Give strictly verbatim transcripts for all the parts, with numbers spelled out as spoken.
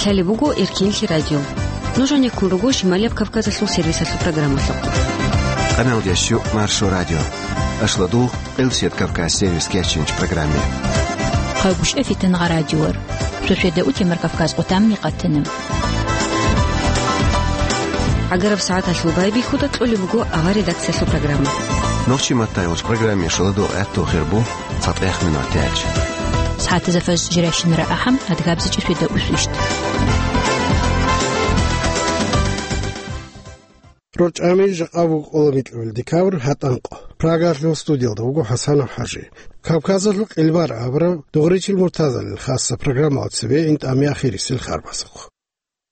Лъалеб буго Эркенлъи радио. Нуж гьанеккун руго Шималияб Кавказалъул сервисалъул программалъухъ. Къамел ящу Маршо радио. Ашладул Къилсият Кавказ сервис кечинч программе. Хъагушев Фитангъа радиор. Суседа утемар Кавказ къутамни къатана. Агараб сагӀаталъул байбихьуда кьолеб буго ава редакциялъул программа. Нохчи маттай уч программе шаладу гӀатту хирбу. ЦатӀех минутач. СагӀатазда фажр жирайщинара ахӀам, адгабзичӀи светда усвищ. РорчӀами жакъа вукӀула микьабил декабрь гьатӀанкъо. Прагалъул студиялда вуго ХӀасанов ХӀажи. Кавказалъул къилбар абураб Дугъричил Муртазалил хасса программала цебе интӀами ахирисел харбасухъ.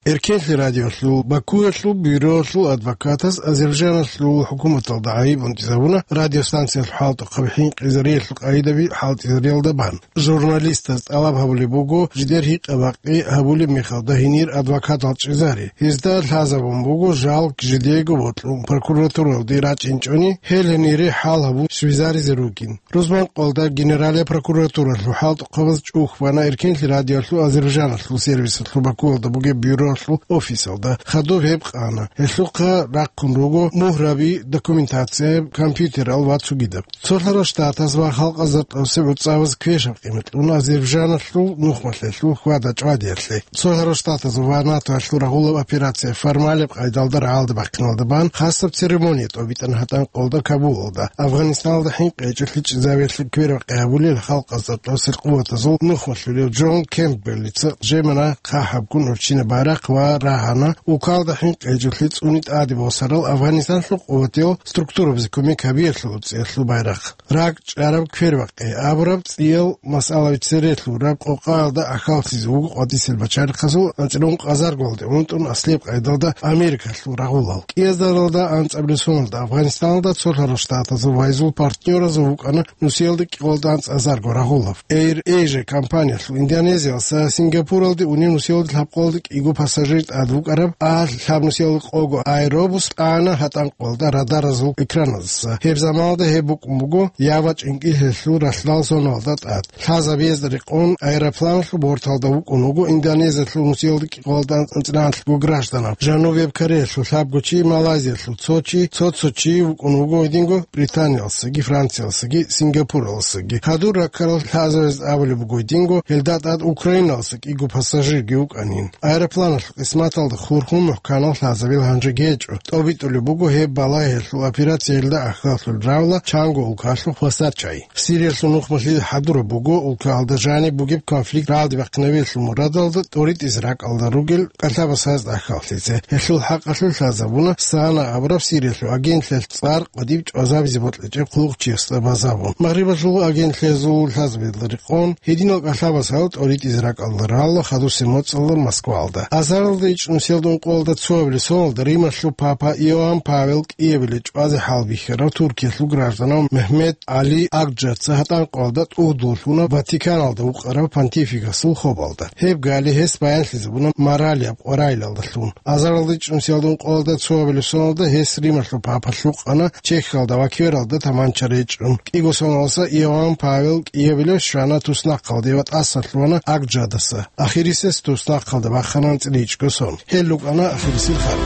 Эркенлъи радиолъул Бакуялъул бюроялъул адвокатас Азербайджаналъул хӀукуматалда гӀайиб унтӀизабуна радиостанциялъул хӀалтӀухъаби хӀинкъизариялъул къагӀидаби хӀалтӀизариялда бан. Журналистаз тӀалаб гьабулеб буго, жидер гьикъа-бакъи гьабулеб мехалда гьенир адвокатал чӀезари. Гьезда лъазабун буго жал жидего бокьун прокуратуралде рачӀинчӀони, гьел гьенире хӀал гьабун щвезаризе ругин. Рузманкъолда Генералияб прокуратуралъул хӀалтӀухъабаз чӀухь бана Эркенлъи радиолъул Азербайджаналъул сервисалъул Бакуялда бугеб бюролъул офисалда. Хадуб гьеб къана. Гьелъухъа рахъун руго мугьраби, документация, компьютерал ва цогидаб. Цолъарал Штатаз ва халкъазда тӀасеб гӀуцӀабаз квешаб къимат кьуна Азербайджаналъул нухмалъелъул хьвада-чӀвадиялъе. Цолъарал Штатазул ва НАТОялъул рагъулаб операция формалаб къайдалда рагӀалде бахъиналда бан хасаб церемония тӀобитӀана гьатӀанкъолда Кабулалда. Афганистаналда хӀинкъи гьечӀолъи чӀезавиялъе квербакъи гьабулел халкъазда тӀасел къуватазул нухмалъулев Джон Кемпбеллица жемана хъахӀабгун урччина байрахъ ва рагьана, улкалда хӀинкъи гьечӀолъи цӀуни тӀаде босарал Афганистанлъул къуватиял структурабазе кумек гьабиялъул цӀиялъул байрахъ. РакӀ чӀараб квербакъи абураб цӀиял масъалаби цере лъураб къокъаялда ахьаллъизе вуго къватӀисел бачарихъазул анцӀила ункъазарго гьалде унтӀун аслияб къайдалда Америкалъул рагъулал. КӀиазаралда анцӀабилеб соналда Афганистаналда цолъарал Штатазул вайзул партнёразул вукӀана нусиялда кӀикъоялда анцӀазарго рагъулаб. Air Asia компаниялъул Индонезиялдаса Сингапуралде унев нусиялда лъабкъоялда кӀиго пассажир тӀад вукӀараб, а лъаб нусиялда къого аэробус тӀана гьатӀанкъолда радаразул экраназдаса. Гьеб заманалда гьеб букӀун буго Ява чӀинкӀиллъиялъул ралъдал соналда тӀад. Лъазабиязда рекъон аэропланалъул борталда вукӀун вуго Индонезиялъул нусиялда кӀикъоялда анцӀила гражданал, Жанубияб Кореялъул лъабго чи, Малайзиялъул цо чи, цо-цо чи вукӀун вуго гьединго Британиялдасаги, Франциялдасаги, Сингапуралдасаги. Гьадур раккарал лъазабаз абулеб буго гьединго, гьелда тӀад Украиналдаса кӀиго пассажирги вукӀанин. Аэропланалъул къисматалда хурхун мухӀканал лъазабил гьанжеги гьечӀо. ТӀобитӀулеб буго гьеб балагьиялъул операциялда ахьаллъулеб равла чанго улкалъухъ хвасар чай. Сириялъул нухмалъи хӀадураб буго улкаялда жаниб бугеб конфликт рагӀалде бахъинабиялъул мурадалда тӀоритӀизе ракӀалда ругел кӀалъабасазда ахьаллъизе. Гьелъул хӀакъалъулъ лъазабуна Сана абураб Сириялъул агентлъиялъ цӀар къватӀиб чӀвазабизе бокьичӀеб хъулухъчиясда базабун. Магърибалъул агентлъиязул лъазабиялда рекъон, гьединал кӀалъабасал тӀоритӀизе ракӀалда ралла хадусеб моцӀалда Москваялда. Азаралда ичӀнусиялда ункъоялда цоабилеб соналда Рималъул папа Иоанн Павел кӀиабилеб чӀвазе хӀалбихьарав Туркиялъул гражданав Мехмед ГӀали Акджаца гьатӀанкъоялда тӀугьдуллъуна Ватиканалда вукъарав понтификасул хобалда. Гьеб гали гьес баянлъизабуна моралияб къварилалдалъун. Азаралда ичӀнусиялда ункъоялда цоабилеб соналда гьес Рималъул папалъ вукъана Чехиялда ва Квералда таманча речӀчӀун. КӀиго соналдаса Иоанн Павел кӀиабилев щвана туснахъалде ва тӀаса лъугьана Акджадаса. Ахирисес туснахъалда бахана анцӀила ичӀго сон. Гьел рукӀана ахирисел харб.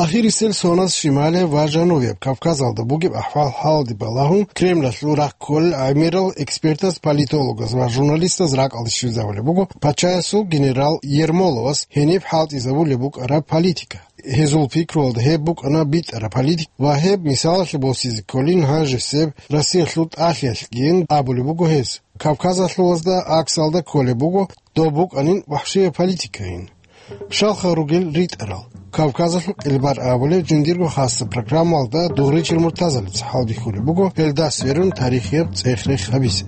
Ахирисел соназ Шималияб ва Жанубияб Кавказалда бугеб ахӀвал-хӀалалде балагьун, Кремлалъул рахъ кколел гӀемерал экспертаз, политологаз ва журналистаз ракӀалде щвезабулеб буго пачаясул генерал Ермоловас гьениб хӀалтӀизабулеб букӀараб политика. Гьезул пикруялда гьеб букӀана битӀараб политика ва гьеб мисалалъе босизе кколин гьанжесеб Россиялъул тӀалъиялъгийин абулеб буго гьес. Кавказалъулазда аксалда кколеб буго доб букӀанин вахӀшияб политикайин. Щалха ругел ритӀарал. Кавказалъул къилбар абулеб жиндирго хасса программалда Дугъричил Муртазалица хӀалбихьулеб буго, гьелда сверун тарихияб цӀех-рех гьабизе.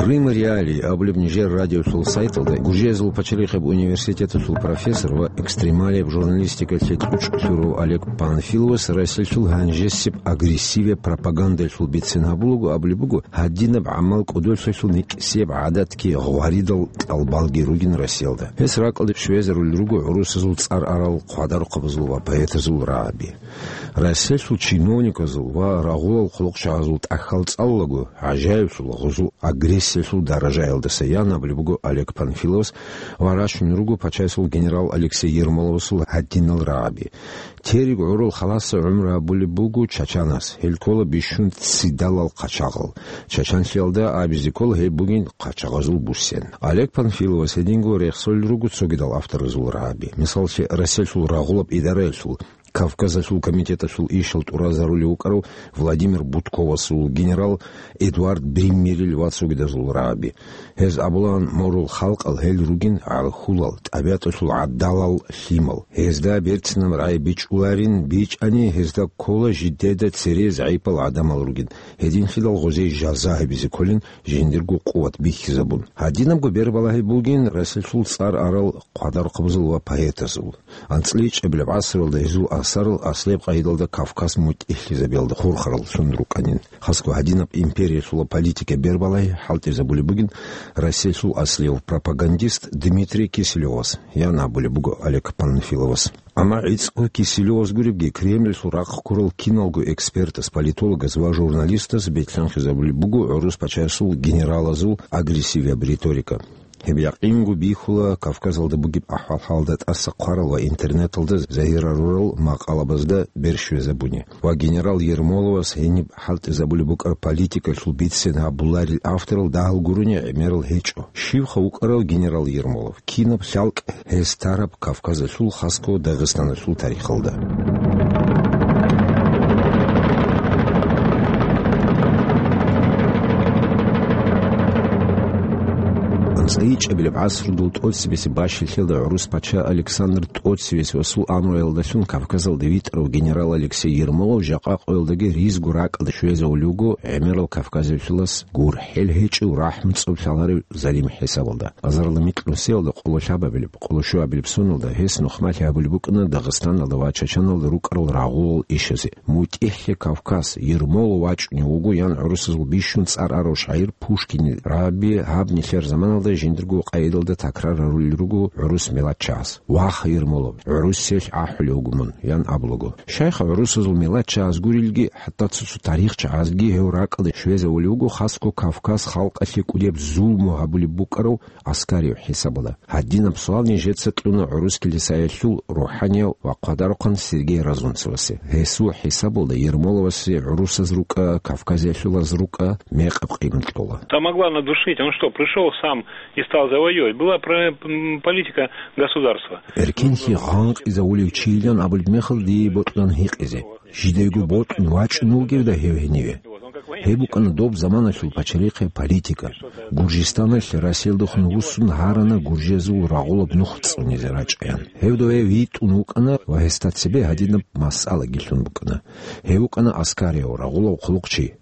Крым Реалии абулеб нижер радиолъул сайталда Гуржиязул пачалихъеб университеталъул профессор ва экстремалияб журналистикалъе кьучӀ лъурав Олег Панфиловас Россиялъул гьанжесеб агрессивияб пропагандалъул бицен гьабулаго абулеб буго, гьадинаб гӀамал кӀудолъиялъул никӀсияб гӀадатги гъваридал кӀалбалги ругин Россиялда. Гьес ракӀалде щвезарулел руго гӀурусазул цӀар арал хъвадарухъабазул ва поэтазул рагӀаби. Россиялъул чиновниказул ва рагъулал хъулухъчагӀазул тӀахьал цӀалулаго, гӀажаиблъул гъузул агрессиялъул даражаялдаса ян абулеб буго Олег Панфиловас ва рачун руго пачаясул генерал Алексей Ермоловасул гьадинал рагӀаби. Терго гӀурал халасе гӀумру гьабулеб буго Чачанас, гьел ккола бищун ццидалал хъачагъал. Чачанлъиялда абизе ккола гьеб бугин хъачагъазул буссен. Олег Панфиловас гьединго рехсолел руго цогидал авторазул рагӀаби. Мисаллъе, Россиялъул рагъулаб идараялъул Кавказалъул комитеталъул ишал тӀуразарулев вукӀарав Владимир Бутковасул, генерал Эдуард Бриммерил ва цогидазул рагӀаби. Гьез абулаан, морул халкъал гьел ругин гӀалхьулал, тӀабигӀаталъул гӀадалал лъимал. Гьезда берцинаб рагӀи бичӀчӀуларин, бичӀчӀани гьезда ккола жидеда цере загӀипал гӀадамал ругин, гьединлъидал гъозие жаза гьабизе кколин, жиндирго къуват бихьизабун. Гьадинабго бербалагьи бугин Россиялъул цӀар арал хъвадарухъабазул ва поэтазул. АнцӀила ичӀабилеб гӀасралда гьезул асарал аслияб къагӀидалда Кавказ мутӀигӀлъизабиялда хурхараллъун рукӀанин. Хасго гьадинаб империялъула политика бербалагьи хӀалтӀизабулеб бугин Россиялъул аслияв пропагандист Дмитрий Киселевас, ян абулеб буго Олег Панфиловас. Амма гӀицӀго Киселевас гуребги, Кремльалъул рахъ ккурал киналго экспертас, политологас ва журналистас бетӀлъанхъизабулеб буго гӀурус пачаясул генералазул агрессивияб риторика. Гьеб якъинго бихьула Кавказалда бугеб ахӀвал-хӀалда тӀаса хъварал ва интернеталда загьирарурал макъалабазда бер щвезабуни. Ва генерал Ермоловас гьениб хӀалтӀизабулеб букӀараб политикалъул бицен гьабуларел авторал дагьал гурони гӀемерал гьечӀо. Щивха вукӀарав генерал Ермолов? Кинаб лъалкӀ гьес тараб Кавказалъул, хасго Дагъистаналъул тарихалда? АнцӀила ичӀабилеб гӀасрудул тӀоцебесеб бащалъиялда гӀурус пача Александр тӀоцевесевасул амруялдалъун Кавказалде витӀарав генерал Алексей Ермолов жакъа къоялдаги ризго ракӀалде щвезавулев вуго гӀемерал кавказалъулас гурхӀел гьечӀев рахӀмуцӀцӀаб лъаларев залим хӀисабалда. Азарилда микьнусиялда къоло лъабабилеб, къоло щуабилеб соналда гьес нухмалъи гьабулеб букӀана Дагъистаналда ва Чачаналда рукӀарал рагъулал ишазе. МутӀигӀлъи Кавказ, Ермолов вачӀунев вуго, ян гӀурусазул бищун цӀар арав шагӀир Пушкинил рагӀаби гьаб нилъер заманалда жиндирго къайдалда такрар гьарулел руго гӀурус миллатчагӀаз: «Ваха, Ермолов, гӀурусиялъ ахӀулев вуго мун», — ян абулаго. Щайха гӀурусазул миллатчагӀаз гурелги, хӀатта цо-цо тарихчагӀазги гьев ракӀалде щвезавулев вуго хасго Кавказ халкъалъе кӀудияб зулму гьабулеб букӀарав Аскариев хӀисабалда. Гьадинаб суал нижеца кьуна гӀурус килисаялъул рухӀанияв ва хъвадарухъан Сергей Разунцевасе. Гьесул хӀисабалда Ермоловасе гӀурусаз рукӀа, кавказиялъулаз рукӀа мекъаб къимат кьола. Там могла надушить. Он что, пришёл сам и стал завоёвывать? Была про-, м, политика государства. Эркенлъи гъанкъизавулев чийилан абулеб мехалда дие бокьун гьикъизе. Жидерго бокьун вачӀун вугевда гьев гьениве? Гьеб букӀана доб заманалъул пачалихъе политика. Гуржистаналъ Россиялдехун вуссун гьарана гуржиязул рагъулаб нух цӀунизе рачӀаян. Гьев дове витӀун вукӀана ва гьесда цебе гьадинаб масъалаги лъун букӀана. Гьев вукӀана аскарияб рагъулав хъулухъчи.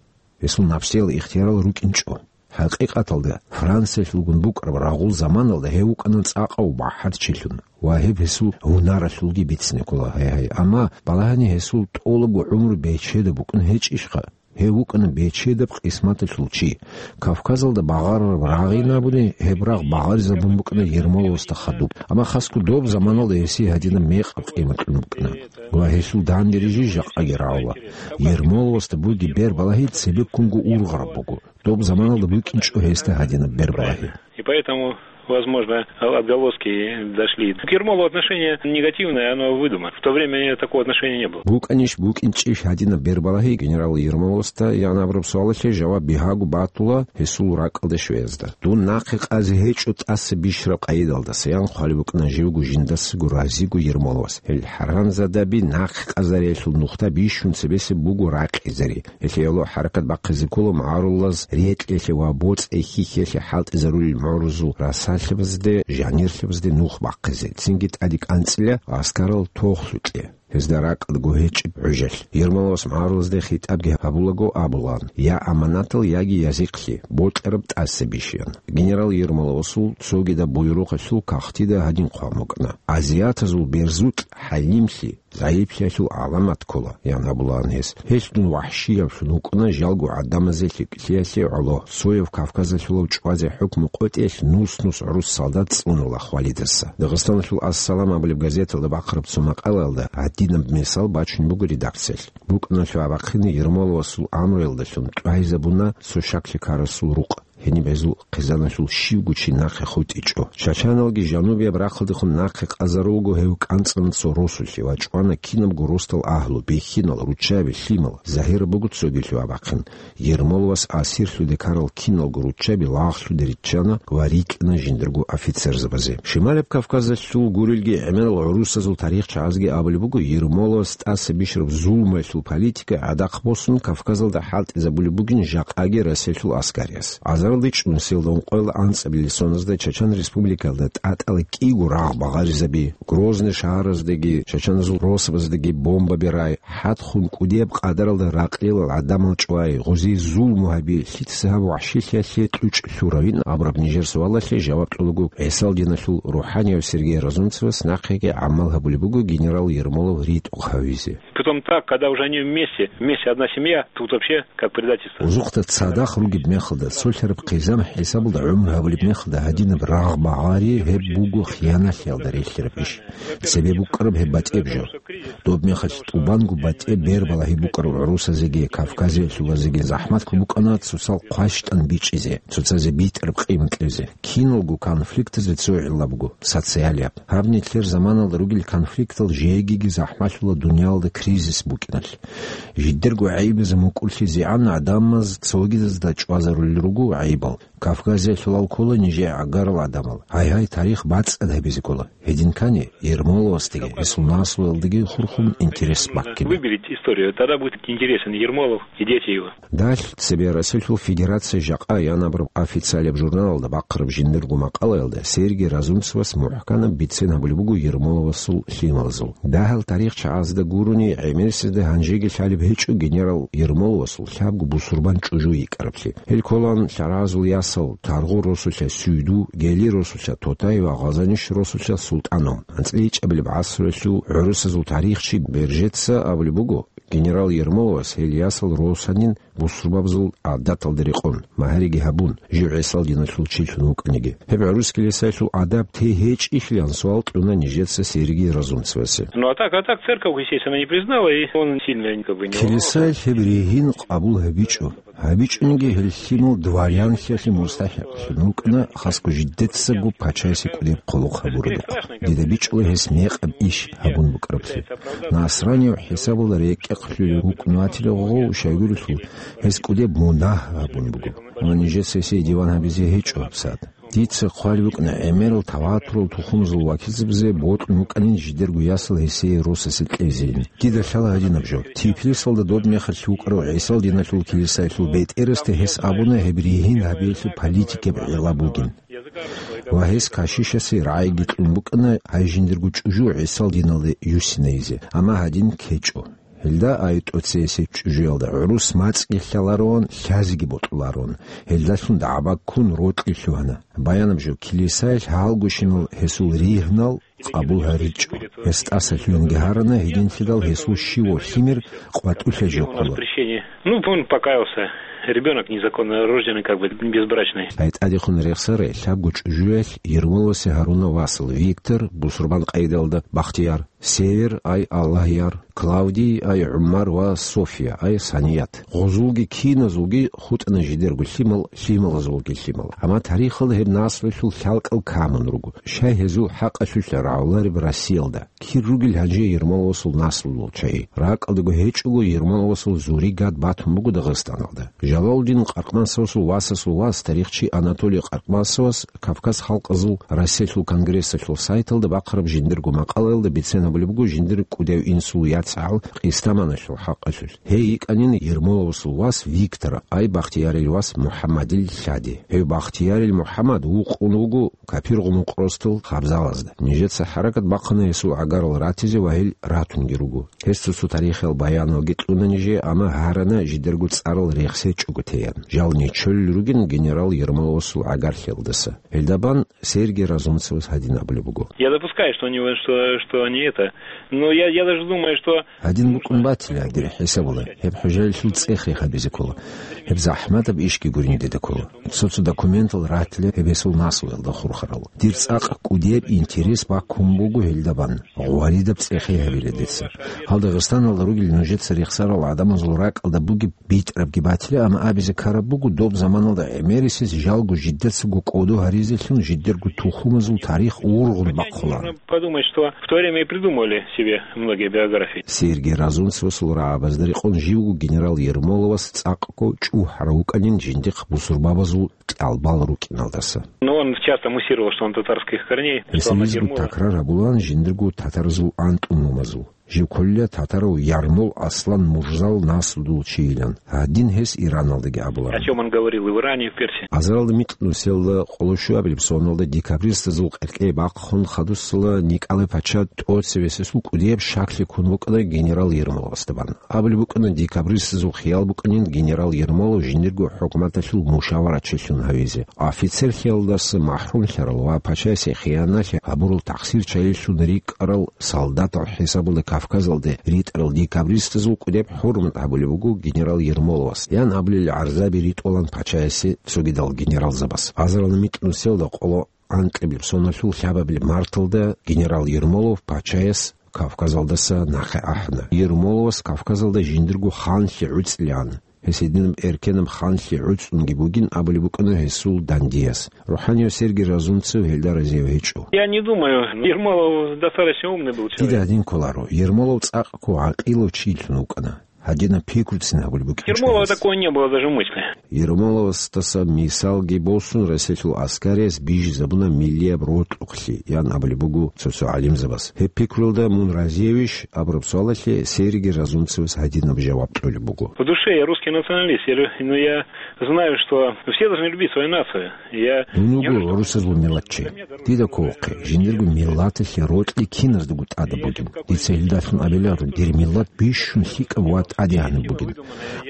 Гьесул напсиял ихтиярал рукӀинчӀо. ХӀакъикъаталда, Франциялъулгун букӀараб рагъул заманалда гьев вукӀана цӀакъав бахӀарчилъун ва гьеб гьесул гьунаралъулги бицине ккола, гьай-гьай. Амма балагьани гьесул тӀолабго гӀумру бечедаб букӀун гьечӀищха? Гьев вукӀана бечедаб къисматалъул чи. Кавказалда багъарараб рагъин абуни, гьеб рагъ багъаризабун букӀана Ермоловасда хадуб. Амма хасго доб заманалда гьесие гьадинаб мекъаб къимат кьун букӀана. Ва гьелъул данде рижи жакъаги рагӀула. Ермоловасда бугеб бербалагьи цебеккунго ургъараб буго. Доб заманалда букӀинчӀо гьесда гьадинаб бербалагьи. И поэтому, возможно, отголоски дошли. К Ермолову отношение негативное, оно выдумано. В то время такого отношения не было. БукӀанищ, букӀинчӀищ гьадинаб бербалагьи генерал Ермоловасда, ян абураб суалалъе жаваб бигьаго батула гьесул ракӀалде щвезда. Дун нахъе къазе гьечӀо тӀаса бищараб къайдалдаса, ян хъвалеб букӀана живго жиндасаго разиго Ермоловас. Гьел хӀаранзадаби нахъе къазариялъул нухда бищун цебесеб буго ракъизари. Гьелъие гӀоло хӀаракат бахъизе ккола магӀарулаз рекьелъе ва боцӀи-хьихьиялъе хӀалтӀизарулел мугӀрузул расалъабазде, жанирлъабазде нух бахъизе, цинги тӀаде кӀанцӀила гӀаскарал тохлъукье. гьезда ракӀалдаго гьечӀеб гӀужалъ. Ермоловас магӀарулазда хитӀабги гьабулаго абулаан: «Я аманатал, яги я зихълъи, бокьараб тӀаса бищаян». Генерал Ермоловасул цогидаб буюрухъалъул кагътида гьадин хъван букӀана: «Азиатазул берзукь хӀалимлъи загӀиплъиялъул гӀаламат ккола», – ян абулаан гьес. «Гьелъ дун вахӀшиявлъун вукӀуна жалго гӀадамазе лъикӀлъиялъе гӀоло, цояв Кавказалъулав чӀвазе хӀукму къотӀиялъ нус-нус гӀурус солдат цӀунула хвалидаса». Дагъистаналъул «Ассалам» абулеб газеталда бахъараб цо макъалаялда гьадинаб мисал бачун буго редакциялъ: «БукӀуналъул абахъине Ермоловасул амруялдалъун тӀвайзабуна цо щаклъи ккарасул рукъ. Гьениб гьезул хъизаналъул щивго чи нахъе хутӀичӀо. Чачаналги жанубияб рахъалдехун нахъе къазарулго гьев кӀанцӀана цо росулъе ва чӀвана кинабго росдал агьлу, бихьинал, руччаби, лъимал. Загьираб буго цогилъул абахъин: Ермоловас асирлъуде ккарал киналго руччаби лагълъуде риччана ва рикӀкӀана жиндирго офицерзабазе». Шималаб Кавказалъул гурелги гӀемерал гӀурусазул тарихчагӀазги абулеб буго, Ермоловас тӀаса бищараб зулмуялъул политика гӀадахъ босун Кавказалда хӀалтӀизабулеб бугин жакъаги Россиялъул аскариялъ. Азарилда чӀун, сиялда ункъоялда анцӀабилеб соназда Чачан Республикаялда тӀатӀала кӀиго рагъ багъаризаби, Грозный шагьараздаги чачаназул росабаздаги бомбаби рай, хӀадхъун кӀудияб къадаралда ракълилал гӀадамал чӀвай, гъозие зулму гьаби, лъица гьаб вахӀшилъиялъе кьучӀ лъуравин абураб нижер суалалъе жаваб кьолаго, ГӀисал диналъул рухӀанияб Сергей Разумцевас нахъеги гӀамал гьабулеб буго генерал Ермолов ритӀухъ гьавизе. Потом так, когда уже они вместе, вместе одна семья, тут вообще как предательство. Узухъда цадахъ ругеб мехалда, цолъараб хъизан хӀисабалда гӀумру гьабулеб мехалда гьадинаб рагъ багъари гьеб буго хияналъиялда релълъараб иш. Цебе букӀараб гьеб батӀияб жо. Доб мехалъ тӀубанго батӀияб бер балагьи букӀараб гӀурусазеги, кавказиялъулазеги захӀматлъун букӀана цоцал хъващтӀан бичӀчӀизе, цоцазе битӀараб къимат кьезе. Киналго конфликтазе цо гӀилла буго, социалияб. Гьаб нилъер заманалда ругел конфликтал жегиги захӀмалъула дуниялалда кризис букӀиналъ. Жидерго гӀайибазе мукӀурлъизегӀан гӀадамаз цогидазда чӀвазарулел руго гӀайибал. Кавказиялъулал ккола нижее гӀагарал гӀадамал. Гьай-гьай, тарих бацӀцӀад гьабизе ккола. Гьединкани, Ермоловасдаги гьесул наслуялдаги хурхун интерес баккине. Выберите историю, тогда будет интересен Ермолов и дети его. Дагьалъ цебе Россиялъул Федерация жакъа янабураб официалияб журналалда бахъараб жиндирго макъалаялда Сергий Разумцевас мухӀканаб бицен гьабулеб буго Ермоловасул лъималазул. Дагьал тарихчагӀазда гурони, гӀемерисезда гьанжеги лъалеб гьечӀо генерал Ермоловасул лъабго бусурбан чӀужу йикӀараблъи. Гьел кколаан лъаразул ясал: Таргъу росулъа Сюйду, Гели росулъа Тотай ва Гъазаниш росулъа СултӀану. АнцӀила ичӀабилеб гӀасруялъул гӀурусазул тарихчи Бержеца абулеб буго, генерал Ермоловас гьел ясал росанин бусурбабазул гӀадаталда рекъон, магьариги гьабун, жив ГӀисал диналъул чилъун вукӀаниги. Гьеб гӀурус килисаялъул адаб тей гьечӀищилан суал кьуна нижеца Сергий Разумцевасе. Ну, а так, а так церковь, естественно, не признала, и он сильно как бы не волновался. Килисаялъ гьеб ригьин къабул гьабичӀо. ГьабичӀониги гьел лъимал дворянлъиялъе мустахӀикълъун рукӀана, хасго жидецаго пачаясе кӀудеб хъулухъ гьабурадухъ. Дида бичӀчӀула гьес мекъаб иш гьабун букӀараблъи. Насранияв хӀисабалда рекӀехъ лъулев вукӀун ватила гъов, щайгурелъул гьес кӀудеб мунагь гьабун буго. Амма нижеца гьесие диван гьабизе гьечӀо гьабсагӀат. Дица хъвалеб букӀана гӀемерал таватурал тухумазул вакилзабазе бокьун букӀанин жидерго ясал гьесие росасе кьезейин. Дида лъала гьадинаб жо. Тифлисалда доб мехалъ вукӀарав ГӀисал диналъул килисаялъул бетӀерасда гьес абуна гьеб ригьин гьабиялъе политикияб гӀилла бугин. Ва гьес кашишасе рагӀиги кьун букӀана гьай жиндирго чӀужу ГӀисал диналде юссинайизе, амма гьадин ккечӀо. Гьелда ай тӀоцесеб чӀужуялда гӀурус мацӀги лъалароан, лъазеги бокьулароан. Гьелдалъун дагӀба ккун рокьи лъугьана. Баянаб жо, килисаялъ гьалгощинал гьесул ригьнал къабул гьаричӀо. Гьес тӀаса лъугьинги гьарана, гьединлъидал гьесул щивав лъимер къватӀулъа жо ккола. Ну, он покаялся. Ребёнок незаконно рожденный, как бы, безбрачный. Ай тӀадехун рехсарай лъабго чӀужуялъ Ермоловасе гьаруна васал: Виктор, бусурбан къайдалда Бахтияр, Север, ай Аллагьяр, Клавдий, ай ГӀумар ва София, ай Саният. Гъозулги киназулги хутӀана жидерго лъимал, лъималазулги лъимал. Амма тарихалда гьеб наслуялъул лъалкӀал камун руго. Щай гьезул хӀакъалъулъ рагӀулареб Россиялда? Кир ругел гьанже Ермоловасул наслуялъул чагӀи? РакӀалдаго гьечӀого Ермоловасул зуригат батун буго Дагъистаналда. Жалалудин Къаркъмасовасул васасул вас, тарихчи Анатолий Къаркъмасовас Кавказ халкъазул Россиялъул конгрессалъул сайталда бахъараб жиндирго макъалаялда бицен гьабулеб буго жиндир кӀудияв инсул яцӀгӀал Къистаманалъул хӀакъалъулъ. Гьей йикӀанин Ермоловасул вас Виктор, ай Бахтиярил вас МухӀаммадил лъади. Гьев Бахтиярил МухӀаммад вукъун вуго капиргъун вукъ ростал хабзалазда. Нижеца хӀаракат бахъана гьесул гӀагарал ратизе ва гьел ратунги руго. Гьес цо-цо тарихиял баяналги кьуна нижее, амма гьарана жидерго цӀарал рехсечӀого теян. Жал нечолел ругин генерал Ермоловасул гӀагарлъиялдаса. Гьелдабан Сергей Разумцевас гьадин абулеб буго. Я допускаю, что они, что, что они это. Но я, я даже думаю, что Гьадин букӀун батила, дир хӀисабула, гьеб хӀужаялъул цӀехе гьабизе ккола. Гьеб захӀматаб ишги гурин дида ккола. Цо-цо документал ратила гьеб гьесул наслуялда хурхарал. Дир цӀакъ кӀудияб интерес баккун буго гьелдабан. Гъваридаб цӀехе гьабила дица. Гьал Дагъистаналда ругел нужеца рехсарал гӀадамазул ракӀалда бугеб битӀарабги батила, амма абизе ккараб буго, доб заманалда гӀемерисез жалго жидецаго кӀодо гьаризелъун жидерго тухумазул тарих ургъун бахъулаан. Подумать, что в то время и придумывали себе многие биографии. Сергей Разумцевасул рагӀабазда рекъон живго генерал Ермоловас цӀакъго чӀухӀарав вукӀанин жиндихъ бусурбабазул кьалбал рукӀиналдаса. Но он часто муссировал, что он татарских корней, что он от Гьесилизго Ермолова. Такрар гьабулаан жиндирго татаразул антӀумумазул. Жив кколила татарав Ярмол Аслан Мурзал наслудул чийилан. Гьадин гьес Ираналдаги абулаан. О чём он говорил и в Иране, и в Персии. Азаралда микьнусиялда къоло щуабилеб соналда декабристазул къеркьей бахъун хадусала Николай пача тӀоцевесесул кӀудияб щаклъи ккун букӀана генерал Ермоловасда бан. Абулеб букӀана, декабристазул хиял букӀанин генерал Ермолов жиндирго хӀукуматалъул мушаварачилъун гьавизе. Офицерлъиялдаса махӀрумлъарал ва пачасе хияналъи гьабурал тахсирчагӀилъун рикӀкӀарал солдатал хӀисабулда Кавказалде ритӀарал декабристазул кӀудеб хӀурмат гьабулеб буго генерал Ермоловас, ян абулел гӀарзаби ритӀулан пачаясе цогидал генералзабас. Азаралда микьнусиялда къоло анкьабилеб соналъул лъабабилеб марталда генерал Ермолов пачаяс Кавказалдаса нахъе ахӀана. Ермоловас Кавказалда жиндирго ханлъи гӀуцӀилаан. Гьес гьединаб эркенаб ханлъи гӀуцӀунги бугин абулеб букӀана гьесул дандияс. РухӀанияв Сергий Разумцев гьелда разияв гьечӀо. Я не думаю. Ермолов достаточно умный был человек. Дида гьадин кколаро, Ермолов цӀакъго гӀакъилав чилъун вукӀана. Гьадинаб пикруцин гьабулеб букӀинчӀо. Ермолова такой не было даже мысли. Ермоловасдаса мисалги босун, Россиялъул аскариялъ бижизабуна миллияб рокьукълъи, ян абулеб буго цо-цо гӀалимзабас. Гьеб пикруялда мун разиявищ абураб суалалъе Сергий Разумцевас гьадинаб жаваб кьолеб буго. В душе я русский националист, я лю-, но я знаю, что все должны любить свою нацию. Я Дун вуго гӀурусазул миллатчи. Дида кколохъе, жиндирго миллаталъе рокьи киназдаго тӀадаб бугин. Дица гьелдалъун абиларо, дир миллат бищун лъикӀаб ва тӀадегӀанаб бугин.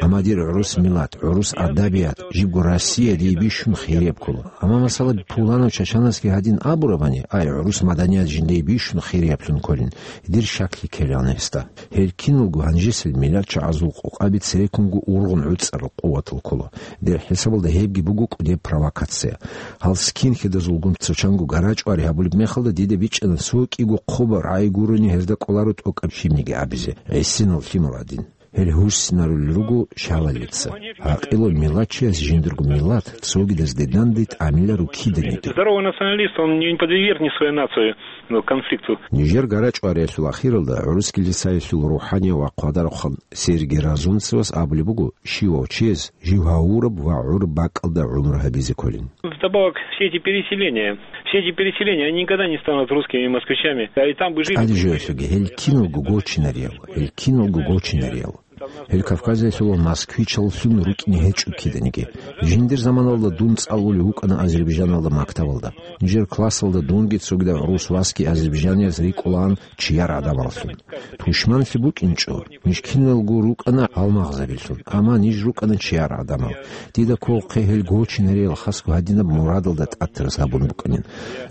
Амма дир гӀурус миллат, гӀурус адабият, жибго Россия дие бищун хирияб ккола. Амма, масала, пуланав чачанасги гьадин абурабани, ай, гӀурус маданият жиндие бищун хирияблъун кколин, дир щаклъи ккелаан гьесда. Гьел киналго гьанжесел миллатчагӀазул къокъаби цереккунго ургъун гӀуцӀарал къуватал ккола. Дир хӀисабалда гьебги буго кӀудеб провокация. Гьал скинхедазулгун цо чанго гарачӀвари гьабулеб мехалда дида бичӀчӀана цо кӀиго хъубаб рагӀи гурони гьезда кӀоларо тӀокӀаб лъимниги абизе, гӀисинал лъимал гӀадин. Гьел гьурсинарулел руго шалалица. ГӀакъилав миллатчияс жиндирго миллат цогидазде данде тӀамиларо киданиги. Здоровый националист, он не подвергнет свою нацию, ну, конфликту. Нижер гарачӀвариялъул ахиралда гӀурус килисаялъул рухӀанияв ва хъвадарахъан Сергий Разумцевас абулеб буго, щивав чияс жив гьавураб ва гӀураб бакӀалда гӀумру гьабизе кколин. Вдобавок, все эти переселения, все эти переселения, они никогда не станут русскими москвичами, а и там бы жили. ТӀаде жоялъулги, гьел киналго гочинариял, гьел киналго гочинариял. Гьел Кавказиялъул москвичаллъун рукӀине гьечӀо киданиги. Жиндир заманалда дун цӀалулев вукӀана Азербайджаналда мактабалда. Нижер классалда дунги цогидаб гӀурус васги азербайджаниялъ рикӀкӀолаан чияр гӀадамаллъун. Тушманлъи букӀинчӀо, ниж киналго рукӀана гьалмагъзабилъун, амма ниж рукӀана чияр гӀадамал. Дида кколохъе гьел гочинариял хасго гьадинаб мурадалда тӀатараз гьабун букӀанин.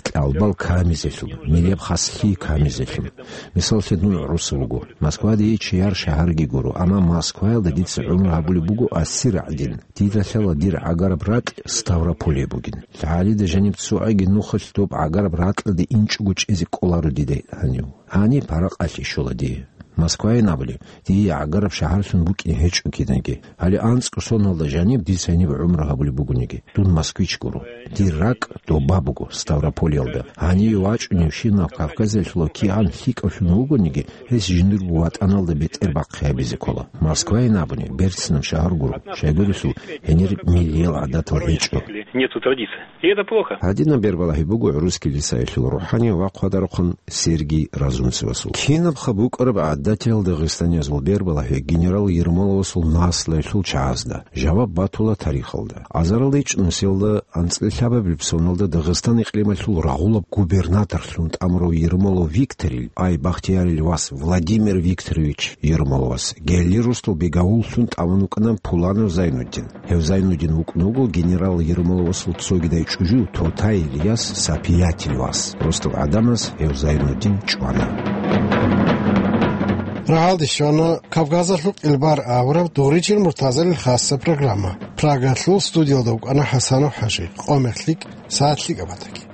Кьалбал камизелъун, милеб хаслъи камизелъун. Мисаллъе, дун гӀурусав вуго. Москва дие чияр шагьарги гуро, амма Москваялда дица гӀумру гьабулеб буго асир гӀадин. Дида лъала дир гӀагараб ракь Ставрополье бугин. ЛъагӀалида жаниб цо гӀаги нухалъ доб гӀагараб ракьалде инчӀого чӀезе кӀоларо дида гьанив. Гьаниб паракъалъе щола дие. Москвайин абуни, дие гӀагараб шагьарлъун букӀин гьечӀо кинаги. Гьале анцӀго соналда жаниб дица гьениб гӀумру гьабулеб бугониги, дун москвич гуро. Дир ракӀ доба буго, Ставрополиялда. Гьаниве вачӀуневщинав Кавказалъула кигӀан лъикӀавлъун вугониги, гьес жиндирго ватӀаналда бетӀер бахъи гьабизе ккола. Москвайин абуни, берцинаб шагьар гуро, щайгурелъул гьенир миллиял гӀадатал гьечӀо. Нету традиции. И это плохо. Гьадинаб бербалагьи буго русский лисаялъул рухӀани ва хъвадарухъан Сергий Разумцевасул. Кинабха букӀараб гӀадатиял дагъистаниязул бербалагьи генерал Ермоловасул наслуялъул чагӀазда жаваб батула тарихалда. Азаралда ичӀнусиялда анцӀила лъабабилеб соналда Дагъистан икълималъул рагъулаб губернаторлъун тӀамурав Ермолов Викторил, ай Бахтиярил вас Владимир Викторович Ермоловас, гелли росдал бегавуллъун тӀамун вукӀана Пуланов Зайнуддин. Гьев Зайнуддин вукӀун вуго генерал Ермоловасул цогидай чӀужу Тотай Ильяс Сапиятил вас. Росдал гӀадамаз гьев Зайнуддин чӀвана. Рагьалде щвана Кавказалъул къилбар абураб Дугъричил Муртазалил хасса программа. Прагалъул студиялда вукӀана ХӀасанов ХӀажи. Къо-мех лъикӀ, сагӀат лъикӀаб батаги.